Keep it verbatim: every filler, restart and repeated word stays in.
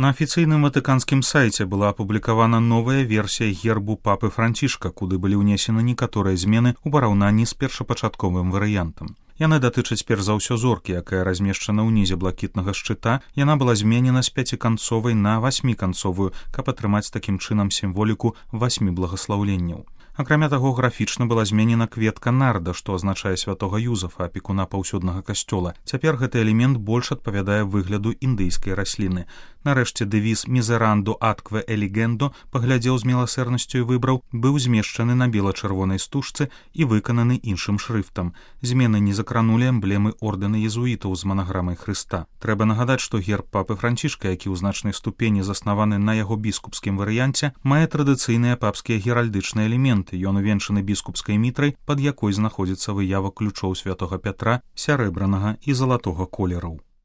На афіцыйным ватыканскім сайце была апублікавана новая версія гербу папы Францішка, куды былі ўнесены некаторыя змены ў параўнанні з першапачатковым варыянтам. Яны датычаць перш за ўсё зоркі, якая размешчана ўнізе блакітнага шчыта. Яна была зменена з пяціканцовай на васьміканцовую, каб атрымаць такім чынам сімволіку васьмі благаслаўленняў. Акрамя таго, графічна была зменена кветка нарда, што азначае святога Юзафа, апекуна паўсюднага касцёла. Цяпер гэты элемент больш адпавядае выгляду індыйскай расліны. Нарэшце дэвіз «Мізеранду аткве элігендо» паглядзеў з міласэрнасцю і выбраў, быў змешчаны на бела-чырвонай стужцы і выкананы іншым шрыфтам. Змены не закранулі эмблемы ордэна езуітаў з манаграмай Хрыста. Трэба нагадаць, што герб папы Францішка, які ў значнай ступені заснаваны на яго біскупскім варыянце, мае традыцыйныя папскія геральдычныя элементы. Ён увенчаны біскупскай мітрай, пад якой знаходзіцца выява ключоў святога Пятра, сярэбранага і залатога колераў.